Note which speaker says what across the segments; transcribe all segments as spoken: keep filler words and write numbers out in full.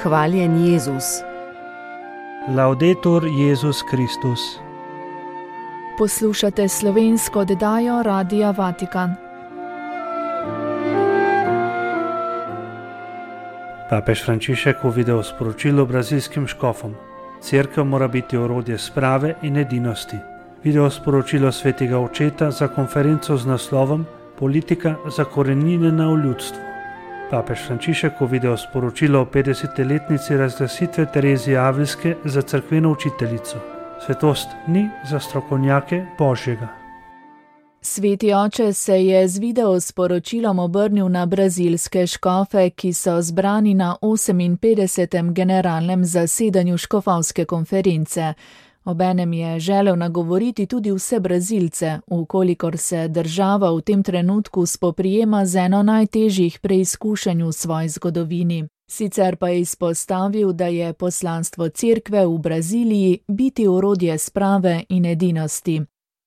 Speaker 1: Hvaljen Jezus.
Speaker 2: Laudetur Jezus Kristus.
Speaker 3: Poslušate slovensko oddajo Radia Vatikan.
Speaker 2: Papež Frančišek v videosporočilu brazilskim škofom. Cerkev mora biti orodje sprave in edinosti. Videosporočilo svetega očeta za konferenco z naslovom Politika zakoreninjena v ljudstvu. Papež Frančišek v videosporočilo o petdesetletnici razglasitve Terezije Avilske za cerkveno učiteljico. Svetost ni za strokovnjake Božjega.
Speaker 3: Sveti oče se je z videosporočilom obrnil na brazilske škofe, ki so zbrani na oseminpetdesetem generalnem zasedanju škofovske konference. Obenem je želel nagovoriti tudi vse Brazilce, ukolikor se država v tem trenutku spoprijema z eno najtežjih preizkušenj v svoji zgodovini. Sicer pa je izpostavil, da je poslanstvo cerkve v Braziliji biti orodje sprave in edinosti.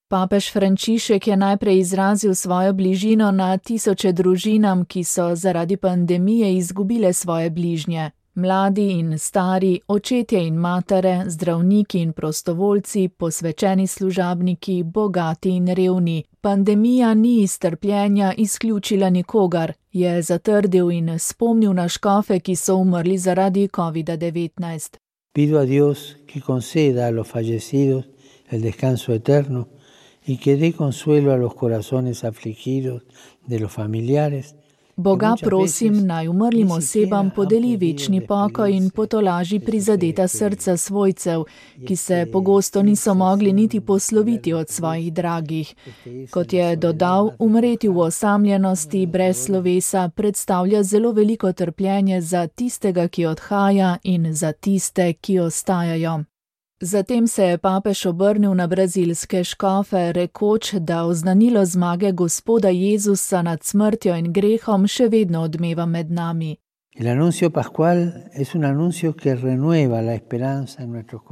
Speaker 3: Papež Frančišek je najprej izrazil svojo bližino na tisoče družinam, ki so zaradi pandemije izgubile svoje bližnje. Mladi in stari, očetje in matere, zdravniki in prostovoljci, posvečeni služabniki, bogati in revni. Pandemija ni iz trpljenja izključila nikogar, je zatrdil in spomnil na škofe, ki so umrli zaradi kovida devetnajst.
Speaker 4: Pido a Dios que conceda a los fallecidos el descanso eterno y que dé consuelo a los corazones afligidos de los familiares.
Speaker 3: Boga prosim, naj umrlim osebam podeli večni pokoj in potolaži prizadeta srca svojcev, ki se pogosto niso mogli niti posloviti od svojih dragih. Kot je dodal, umreti v osamljenosti brez slovesa predstavlja zelo veliko trpljenje za tistega, ki odhaja, in za tiste, ki ostajajo. Zatem se je papež obrnil na brazilske škofe, rekoč, da oznanilo zmage Gospoda Jezusa nad smrtjo in grehom še vedno odmeva med nami.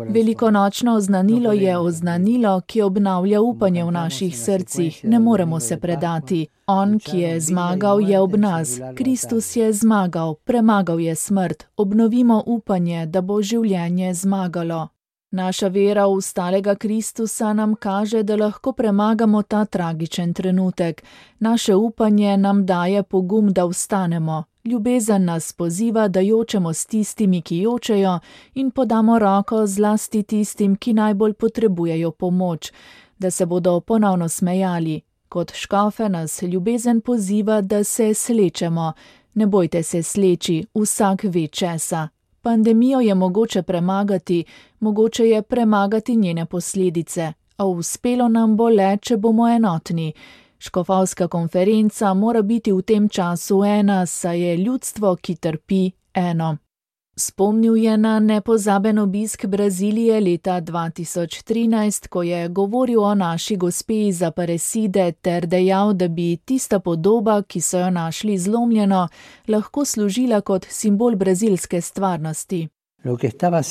Speaker 3: Velikonočno oznanilo je oznanilo, ki obnavlja upanje v naših srcih, ne moremo se predati. On, ki je zmagal, je ob nas. Kristus je zmagal, premagal je smrt. Obnovimo upanje, da bo življenje zmagalo. Naša vera v stalega Kristusa nam kaže, da lahko premagamo ta tragičen trenutek. Naše upanje nam daje pogum, da vstanemo. Ljubezen nas poziva, da jočemo s tistimi, ki jočejo, in podamo roko zlasti tistim, ki najbolj potrebujejo pomoč, da se bodo ponovno smejali. Kot škofe nas ljubezen poziva, da se slečemo. Ne bojte se sleči, vsak ve česa. Pandemijo je mogoče premagati, mogoče je premagati njene posledice, a uspelo nam bo le, če bomo enotni. Škofovska konferenca mora biti v tem času ena, saj je ljudstvo, ki trpi, eno. Spomnil je na nepozaben obisk Brazilije leta dva tisoč trinajst, ko je govoril o naši gospe iz Aparecide ter dejal, da bi tista podoba, ki so jo našli zlomljeno, lahko služila kot simbol brazilske stvarnosti.
Speaker 4: Lo que estaba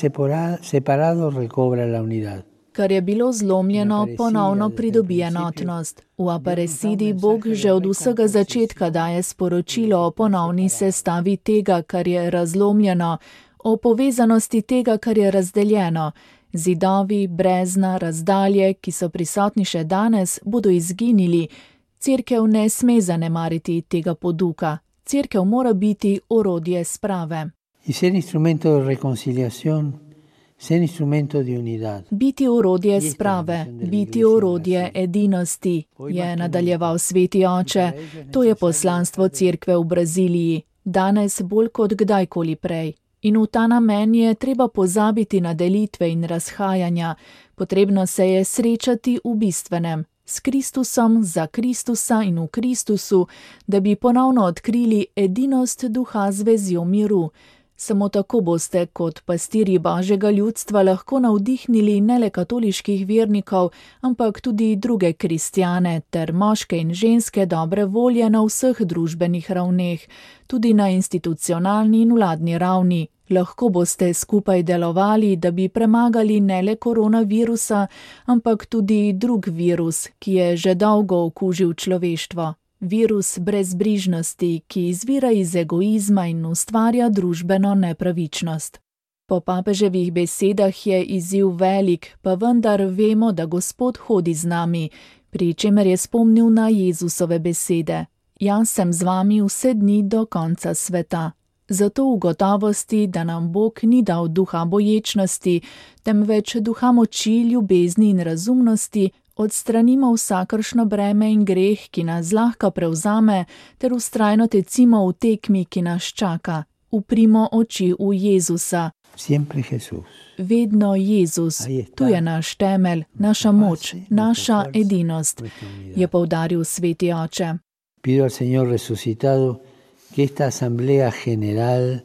Speaker 4: separado recobra la unidad.
Speaker 3: Kar je bilo zlomljeno, ponovno pridobi enotnost. V Aparecidi Bog že od vsega začetka daje sporočilo o ponovni sestavi tega, kar je razlomljeno, o povezanosti tega, kar je razdeljeno. Zidovi, brezna, razdalje, ki so prisotni še danes, bodo izginili. Cerkev ne sme zanemariti tega poduka. Cerkev mora biti orodje sprave.
Speaker 4: In ser instrumento de reconciliación.
Speaker 3: Biti orodje sprave, biti orodje edinosti, je nadaljeval sveti oče. To je poslanstvo cerkve v Braziliji, danes bolj kot kdajkoli prej. In v ta namen je treba pozabiti na delitve in razhajanja. Potrebno se je srečati v bistvenem, s Kristusom, za Kristusa in v Kristusu, da bi ponovno odkrili edinost duha z vezjo miru. Samo tako boste kot pastirji Božjega ljudstva lahko navdihnili ne le katoliških vernikov, ampak tudi druge kristjane ter moške in ženske dobre volje na vseh družbenih ravneh, tudi na institucionalni in vladni ravni. Lahko boste skupaj delovali, da bi premagali ne le koronavirusa, ampak tudi drug virus, ki je že dolgo okužil človeštvo. virus brezbrižnosti, ki izvira iz egoizma in ustvarja družbeno nepravičnost. Po papeževih besedah je izziv velik, pa vendar vemo, da Gospod hodi z nami, pri čemer je spomnil na Jezusove besede: Jaz sem z vami vse dni do konca sveta. Zato v gotovosti, da nam Bog ni dal duha boječnosti, temveč duha moči, ljubezni in razumnosti, odstranimo vsakršno breme in greh, ki nas zlahka prevzame, ter vztrajno tecimo v tekmi, ki nas čaka. Uprimo oči v Jezusa.
Speaker 4: Siempre Jesús.
Speaker 3: Vedno Jezus, tu je naš temelj, naša moč, naša edinost, je poudaril sveti oče.
Speaker 4: Pido al Señor resucitado que esta asamblea general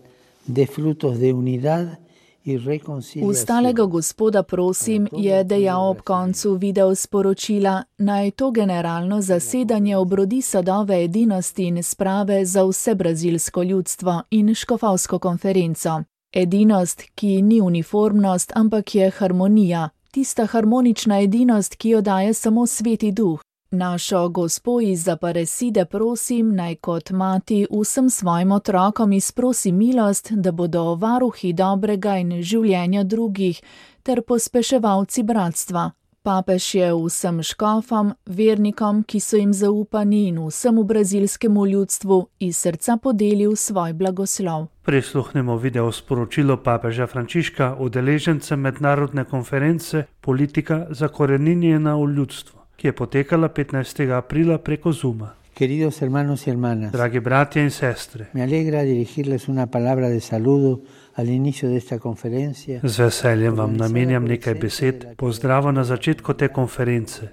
Speaker 4: dé frutos de unidad y reconciliación.
Speaker 3: Ustalega Gospoda prosim, je dejal ob koncu video sporočila, naj to generalno zasedanje obrodi sadove edinosti in sprave za vse brazilsko ljudstvo in škofovsko konferenco. Edinost, ki ni uniformnost, ampak je harmonija, tista harmonična edinost, ki jo daje samo Sveti Duh. Našo Gospo iz Aparecide prosim, naj kot mati vsem svojim otrokom izprosi milost, da bodo varuhi dobrega in življenja drugih ter pospeševalci bratstva. Papež je vsem škofom, vernikom, ki so jim zaupani, in vsemu brazilskemu ljudstvu iz srca podelil svoj blagoslov.
Speaker 2: Prisluhnemo video sporočilo papeža Frančiška udeležencem mednarodne konference Politika zakoreninjena v ljudstvu, ki je potekala petnajstega aprila preko Zooma.
Speaker 4: Queridos hermanos y hermanas,
Speaker 2: Dragi bratje in sestre,
Speaker 4: me alegra dirigirles una palabra de saludo al inicio de esta conferencia.
Speaker 2: z veseljem vam namenjam nekaj besed pozdrava na začetku te konference,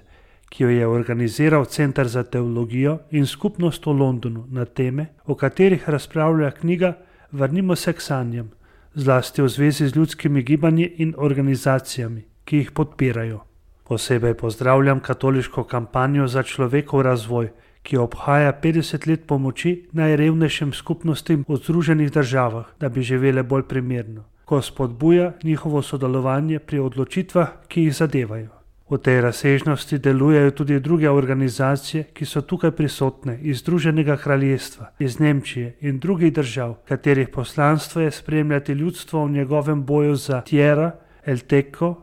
Speaker 2: ki jo je organiziral Center za teologijo in skupnost v Londonu na teme, o katerih razpravlja knjiga Vrnimo se k sanjam, zlasti v zvezi z ljudskimi gibanji in organizacijami, ki jih podpirajo. Posebej pozdravljam katoliško kampanjo za človekov razvoj, ki obhaja petdeset let pomoči najrevnejšim skupnostim v Združenih državah, da bi živele bolj primerno, ko spodbuja njihovo sodelovanje pri odločitvah, ki jih zadevajo. V tej razsežnosti delujejo tudi druge organizacije, ki so tukaj prisotne iz Združenega kraljestva, iz Nemčije in drugih držav, katerih poslanstvo je spremljati ljudstvo v njegovem boju za tierra, el teco,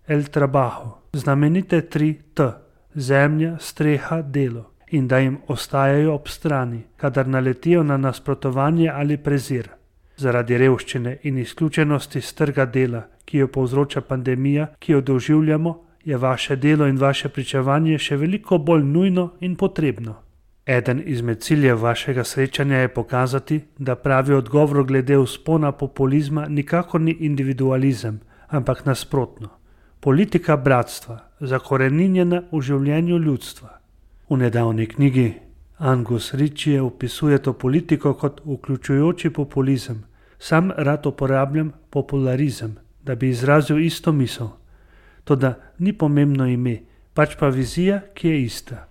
Speaker 2: el trabajo, znamenite tri T, zemlja, streha, delo, in da jim ostajajo ob strani, kadar naletijo na nasprotovanje ali prezir. Zaradi revščine in izključenosti s trga dela, ki jo povzroča pandemija, ki jo doživljamo, je vaše delo in vaše pričevanje še veliko bolj nujno in potrebno. Eden izmed ciljev vašega srečanja je pokazati, da pravi odgovor glede vzpona populizma nikakor ni individualizem, ampak nasprotno. Politika bratstva, zakoreninjena v življenju ljudstva. V nedavni knjigi Angus Ritchie opisuje to politiko kot vključujoči populizem. Sam rad uporabljam popularizem, da bi izrazil isto misel. Toda ni pomembno ime, pač pa vizija, ki je ista.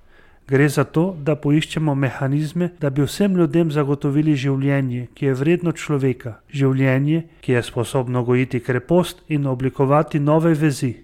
Speaker 2: Gre za to, da poiščemo mehanizme, da bi vsem ljudem zagotovili življenje, ki je vredno človeka, življenje, ki je sposobno gojiti krepost in oblikovati nove vezi.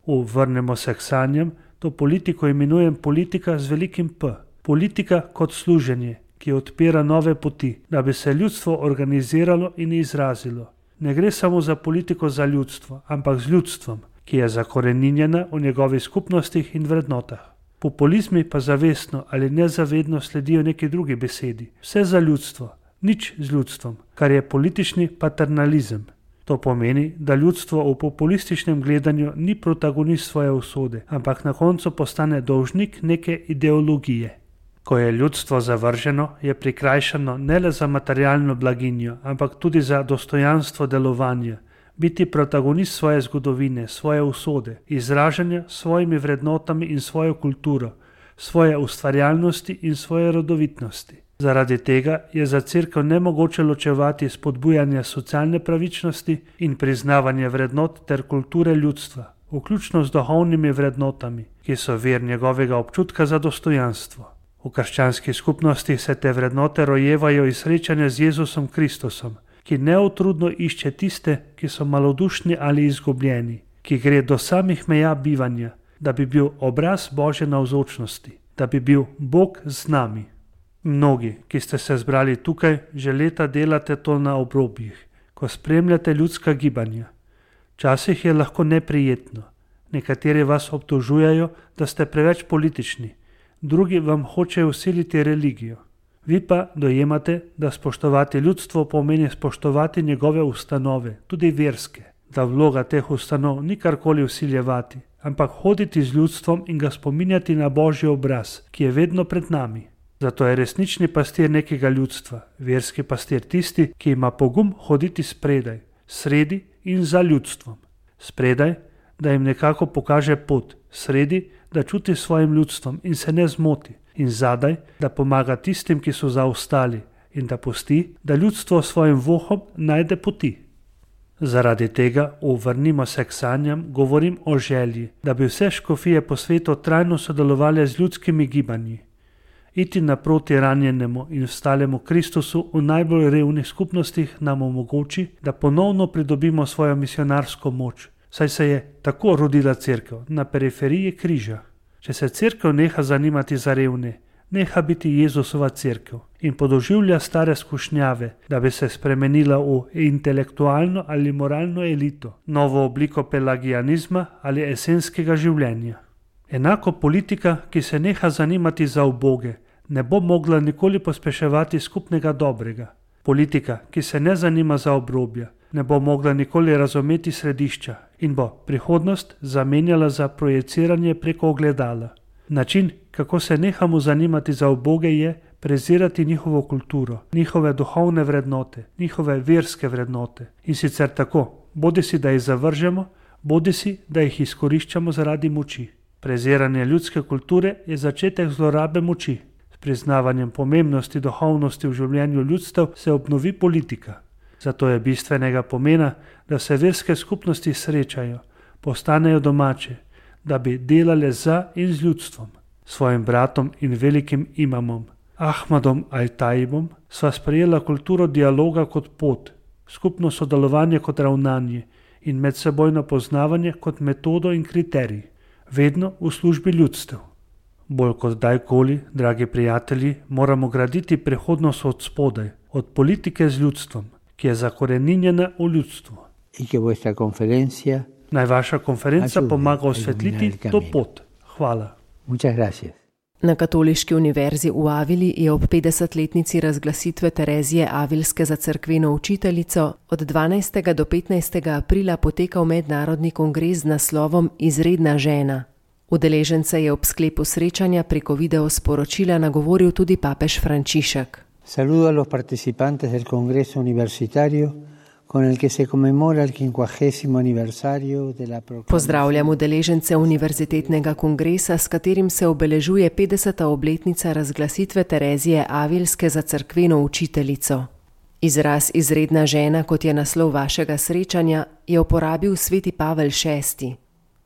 Speaker 2: V Vrnemo se k sanjam, to politiko imenujem politika z velikim P. Politika kot služenje, ki odpira nove poti, da bi se ljudstvo organiziralo in izrazilo. Ne gre samo za politiko za ljudstvo, ampak z ljudstvom, ki je zakoreninjena v njegovih skupnostih in vrednotah. Populizmi pa zavestno ali nezavedno sledijo neki drugi besedi. Vse za ljudstvo, nič z ljudstvom, kar je politični paternalizem. To pomeni, da ljudstvo v populističnem gledanju ni protagonist svoje usode, ampak na koncu postane dolžnik neke ideologije. Ko je ljudstvo zavrženo, je prikrajšano ne le za materialno blaginjo, ampak tudi za dostojanstvo delovanja, biti protagonist svoje zgodovine, svoje usode, izražanja s svojimi vrednotami in svojo kulturo, svoje ustvarjalnosti in svoje rodovitnosti. Zaradi tega je za cerkev nemogoče ločevati spodbujanje socialne pravičnosti in priznavanje vrednot ter kulture ljudstva, vključno z duhovnimi vrednotami, ki so vir njegovega občutka za dostojanstvo. V krščanskih skupnostih se te vrednote rojevajo iz srečanja z Jezusom Kristusom, ki neutrudno išče tiste, ki so malodušni ali izgubljeni, ki gre do samih meja bivanja, da bi bil obraz Božje navzočnosti, da bi bil Bog z nami. Mnogi, ki ste se zbrali tukaj, že leta delate to na obrobjih, ko spremljate ljudska gibanja. Včasih je lahko neprijetno. Nekateri vas obtožujejo, da ste preveč politični, drugi vam hočejo vsiliti religijo. Vi pa dojemate, da spoštovati ljudstvo pomeni spoštovati njegove ustanove, tudi verske, da vloga teh ustanov ni karkoli vsiljevati, ampak hoditi z ljudstvom in ga spominjati na Božji obraz, ki je vedno pred nami. Zato je resnični pastir nekega ljudstva, verski pastir tisti, ki ima pogum hoditi spredaj, sredi in za ljudstvom. Spredaj, da jim nekako pokaže pot, sredi, da čuti svojim ljudstvom in se ne zmoti, in zadaj, da pomaga tistim, ki so zaostali, in da pusti, da ljudstvo svojim vohom najde poti. Zaradi tega, vrnimo se k sanjam, govorim o želji, da bi vse škofije po svetu trajno sodelovali z ljudskimi gibanji. Iti naproti ranjenemu in vstalemu Kristusu v najbolj revnih skupnostih nam omogoči, da ponovno pridobimo svojo misionarsko moč, saj se je tako rodila cerkev na periferiji križa. Če se cerkev neha zanimati za revne, neha biti Jezusova cerkev in podoživlja stare skušnjave, da bi se spremenila v intelektualno ali moralno elito, novo obliko pelagianizma ali esenskega življenja. Enako politika, ki se neha zanimati za uboge, ne bo mogla nikoli pospeševati skupnega dobrega. Politika, ki se ne zanima za obrobja, ne bo mogla nikoli razumeti središča in bo prihodnost zamenjala za projeciranje preko ogledala. Način, kako se nehamo zanimati za uboge, je prezirati njihovo kulturo, njihove duhovne vrednote, njihove verske vrednote. In sicer tako, bodisi da jih zavržemo, bodisi da jih izkoriščamo zaradi moči. Preziranje ljudske kulture je začetek zlorabe moči. S priznavanjem pomembnosti duhovnosti v življenju ljudstev se obnovi politika. Zato je bistvenega pomena, da se verske skupnosti srečajo, postanejo domače, da bi delale za in z ljudstvom. Svojim bratom in velikim imamom, Ahmadom Al-Tajibom, sva sprejela kulturo dialoga kot pot, skupno sodelovanje kot ravnanje in medsebojno poznavanje kot metodo in kriterij, vedno v službi ljudstev. Bolj kot dajkoli, dragi prijatelji, moramo graditi prihodnost od spodaj, od politike z ljudstvom, ki je zakoreninjena v ljudstvu. Naj vaša konferenca pomaga osvetliti to pot. Hvala.
Speaker 1: Na Katoliški univerzi v Avili je ob petdesetletnici razglasitve Terezije Avilske za cerkveno učiteljico od dvanajstega do petnajstega aprila potekal mednarodni kongres z naslovom Izredna žena. Udeležence je ob sklepu srečanja preko video sporočila nagovoril tudi papež Frančišek.
Speaker 4: Saludo a los participantes del Congreso Universitario, con el que se conmemora el quincuagésimo aniversario de la proclamación.
Speaker 1: Pozdravljam udeležence univerzitetnega kongresa, s katerim se obeležuje petdeseta obletnica razglasitve Terezije Avilske za cerkveno učiteljico. Izraz izredna žena, kot je naslov vašega srečanja, je uporabil sveti Pavel šesti.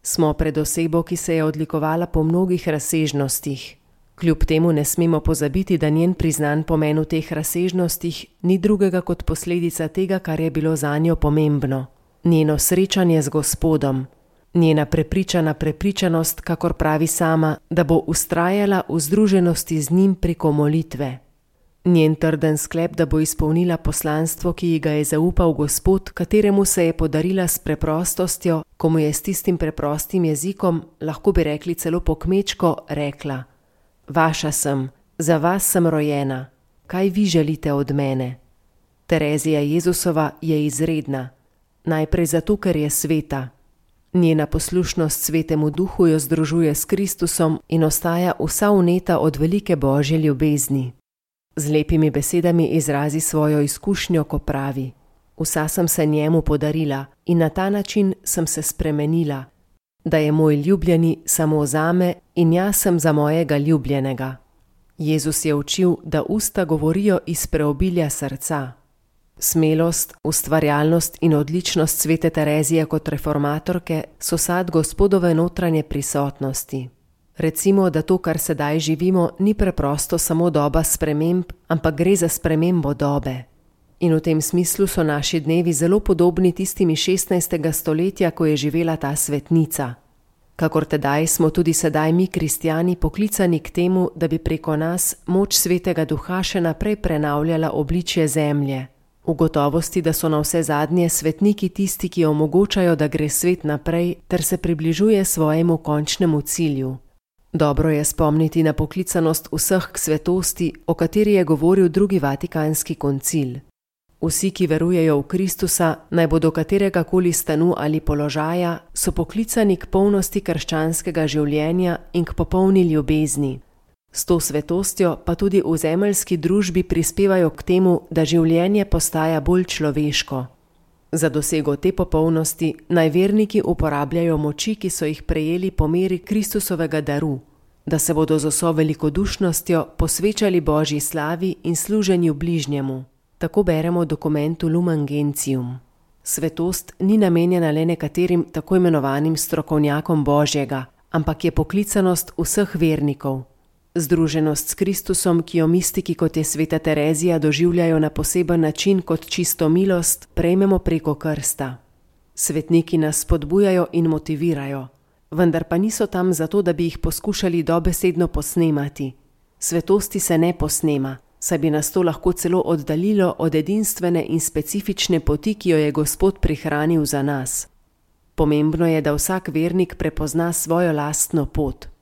Speaker 1: Smo pred osebo, ki se je odlikovala po mnogih razsežnostih. Kljub temu ne smemo pozabiti, da njen priznan pomen v teh razsežnostih ni drugega kot posledica tega, kar je bilo zanjo pomembno. Njeno srečanje z Gospodom, njena prepričana prepričanost, kakor pravi sama, da bo vztrajala v združenosti z njim preko molitve. Njen trden sklep, da bo izpolnila poslanstvo, ki ji ga je zaupal Gospod, kateremu se je podarila s preprostostjo, ko mu je s tistim preprostim jezikom, lahko bi rekli celo po kmečko, rekla: Vaša sem, za vas sem rojena, kaj vi želite od mene? Terezija Jezusova je izredna, najprej zato, ker je sveta. Njena poslušnost svetemu duhu jo združuje s Kristusom in ostaja vsa vneta od velike Božje ljubezni. Z lepimi besedami izrazi svojo izkušnjo, ko pravi: Vsa sem se njemu podarila in na ta način sem se spremenila, da je moj ljubljeni samo zame in jaz sem za mojega ljubljenega. Jezus je učil, da usta govorijo iz preobilja srca. Smelost, ustvarjalnost in odličnost svete Terezije kot reformatorke so sad Gospodove notranje prisotnosti. Recimo, da to, kar sedaj živimo, ni preprosto samo doba sprememb, ampak gre za spremembo dobe. In v tem smislu so naši dnevi zelo podobni tistimi šestnajstega stoletja, ko je živela ta svetnica. Kakor tedaj smo tudi sedaj mi, kristjani, poklicani k temu, da bi preko nas moč Svetega Duha še naprej prenavljala obličje zemlje, v gotovosti, da so na vse zadnje svetniki tisti, ki omogočajo, da gre svet naprej ter se približuje svojemu končnemu cilju. Dobro je spomniti na poklicanost vseh k svetosti, o kateri je govoril drugi Vatikanski koncil. Vsi, ki verujejo v Kristusa, naj bodo katerega koli stanu ali položaja, so poklicani k polnosti krščanskega življenja in k popolni ljubezni. S to svetostjo pa tudi v zemeljski družbi prispevajo k temu, da življenje postaja bolj človeško. Za dosego te popolnosti naj verniki uporabljajo moči, ki so jih prejeli po meri Kristusovega daru, da se bodo z vso velikodušnostjo posvečali Božji slavi in služenju bližnjemu. Tako beremo v dokumentu Lumen Gentium. Svetost ni namenjena le nekaterim tako imenovanim strokovnjakom Božjega, ampak je poklicanost vseh vernikov. Združenost s Kristusom, ki jo mistiki kot je sveta Terezija doživljajo na poseben način kot čisto milost, prejmemo preko krsta. Svetniki nas spodbujajo in motivirajo, vendar pa niso tam zato, da bi jih poskušali dobesedno posnemati. Svetosti se ne posnema, saj bi nas to lahko celo oddaljilo od edinstvene in specifične poti, ki jo je Gospod prihranil za nas. Pomembno je, da vsak vernik prepozna svojo lastno pot.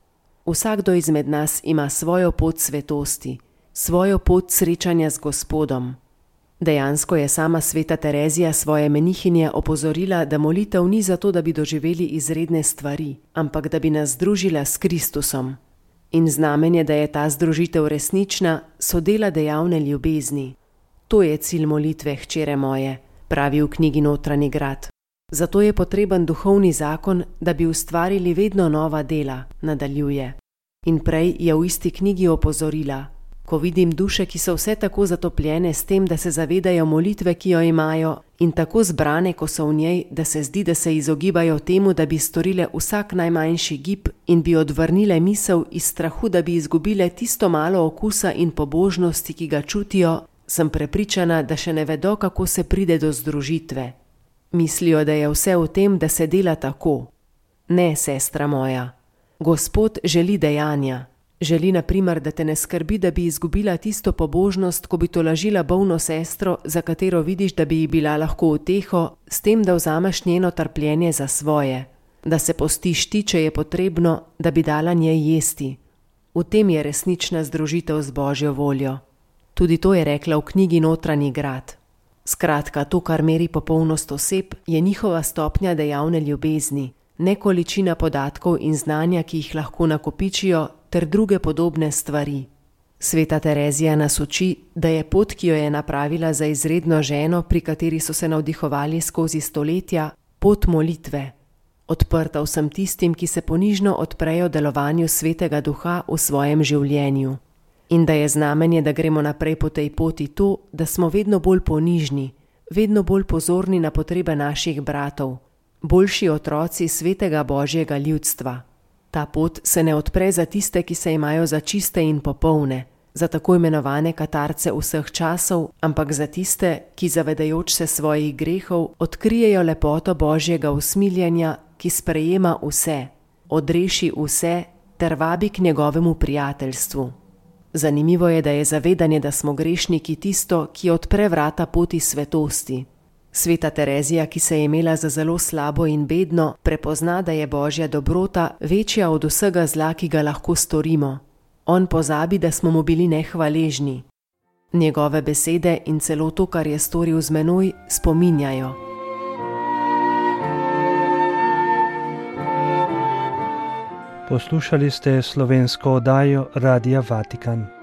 Speaker 1: Vsakdo izmed nas ima svojo pot svetosti, svojo pot srečanja z Gospodom. Dejansko je sama sveta Terezija svoje menihinje opozorila, da molitev ni zato, da bi doživeli izredne stvari, ampak da bi nas združila s Kristusom. In znamenje, da je ta združitev resnična, so dela dejavne ljubezni. To je cilj molitve, hčere moje, pravi v knjigi Notranji grad. Zato je potreben duhovni zakon, da bi ustvarili vedno nova dela, nadaljuje. In prej je v isti knjigi opozorila: ko vidim duše, ki so vse tako zatopljene s tem, da se zavedajo molitve, ki jo imajo, in tako zbrane, ko so v njej, da se zdi, da se izogibajo temu, da bi storile vsak najmanjši gib in bi odvrnile misel iz strahu, da bi izgubile tisto malo okusa in pobožnosti, ki ga čutijo, sem prepričana, da še ne vedo, kako se pride do združitve. Mislijo, da je vse v tem, da se dela tako. Ne, sestra moja. Gospod želi dejanja. Želi, na primer, da te ne skrbi, da bi izgubila tisto pobožnost, ko bi tolažila bolno sestro, za katero vidiš, da bi ji bila lahko uteho, s tem, da vzameš njeno trpljenje za svoje. Da se postiš ti, če je potrebno, da bi dala njej jesti. V tem je resnična združitev z Božjo voljo. Tudi to je rekla v knjigi Notranji grad. Skratka, to, kar meri popolnost oseb, je njihova stopnja dejavne ljubezni, ne količina podatkov in znanja, ki jih lahko nakopičijo, ter druge podobne stvari. Sveta Terezija nas uči, da je pot, ki jo je napravila za izredno ženo, pri kateri so se navdihovali skozi stoletja, pot molitve, odprta vsem tistim, ki se ponižno odprejo delovanju Svetega Duha v svojem življenju. In da je znamenje, da gremo naprej po tej poti to, da smo vedno bolj ponižni, vedno bolj pozorni na potrebe naših bratov, boljši otroci Svetega Božjega ljudstva. Ta pot se ne odpre za tiste, ki se imajo za čiste in popolne, za tako imenovane katarce vseh časov, ampak za tiste, ki zavedajoč se svojih grehov, odkrijejo lepoto Božjega usmiljenja, ki sprejema vse, odreši vse ter vabi k njegovemu prijateljstvu. Zanimivo je, da je zavedanje, da smo grešniki, tisto, ki odpre vrata poti svetosti. Sveta Terezija, ki se je imela za zelo slabo in bedno, prepozna, da je Božja dobrota večja od vsega zla, ki ga lahko storimo. On pozabi, da smo mu bili nehvaležni. Njegove besede in celo to, kar je storil z menoj, spominjajo.
Speaker 2: Poslušali ste slovensko oddajo Radia Vatikan.